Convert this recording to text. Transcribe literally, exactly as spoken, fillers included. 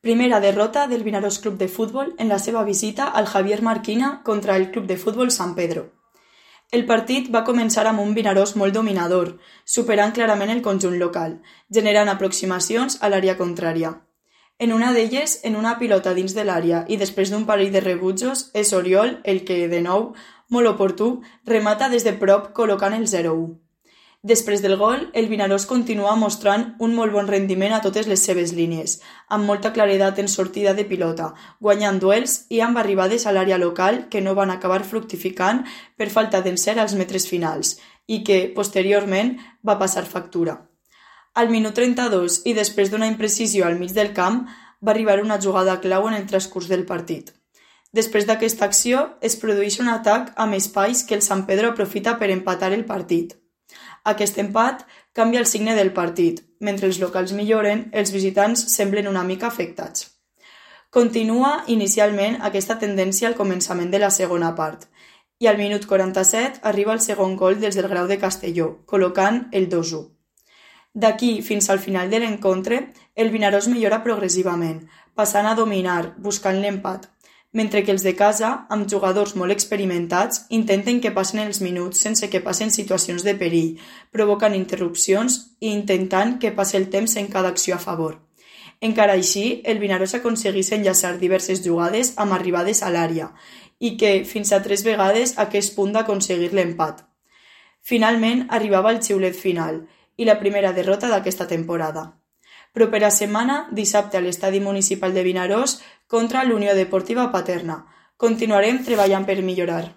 Primera derrota del Vinaròs Club de Futbol en la seva visita al Javier Marquina contra el Club de Futbol San Pedro. El partit va començar amb un Vinaròs molt dominador, superant clarament el conjunt local, generant aproximacions a l'àrea contrària. En una d'elles, en una pilota dins de l'àrea i després d'un parell de rebutjos, és Oriol el que, de nou, molt oportú, remata des de prop col·locant el zero u. Després del gol, el Vinaròs continua mostrant un molt bon rendiment a totes les seves línies, amb molta claredat en sortida de pilota, guanyant duels i amb arribades a l'àrea local que no van acabar fructificant per falta d'encert als metres finals i que, posteriorment, va passar factura. Al minut trenta-dos i després d'una imprecisió al mig del camp, va arribar una jugada clau en el transcurs del partit. Després d'aquesta acció, es produeix un atac amb espais que el San Pedro aprofita per empatar el partit. Aquest empat canvia el signe del partit. Mentre els locals milloren, els visitants semblen una mica afectats. Continua inicialment aquesta tendència al començament de la segona part i al minut quaranta-set arriba el segon gol des del Grau de Castelló, col·locant el dos u. D'aquí fins al final de l'encontre, el Vinaròs millora progressivament, passant a dominar, buscant l'empat, mentre que els de casa, amb jugadors molt experimentats, intenten que passen els minuts sense que passen situacions de perill, provocant interrupcions i intentant que passi el temps en cada acció a favor. Encara així, el Vinaròs aconsegueix enllaçar diverses jugades amb arribades a l'àrea i que, fins a tres vegades, aquest punt d'aconseguir l'empat. Finalment, arribava el xiulet final i la primera derrota d'aquesta temporada. Propera setmana, dissabte a l'Estadi Municipal de Vinaròs contra l'Unió Deportiva Paterna. Continuarem treballant per millorar.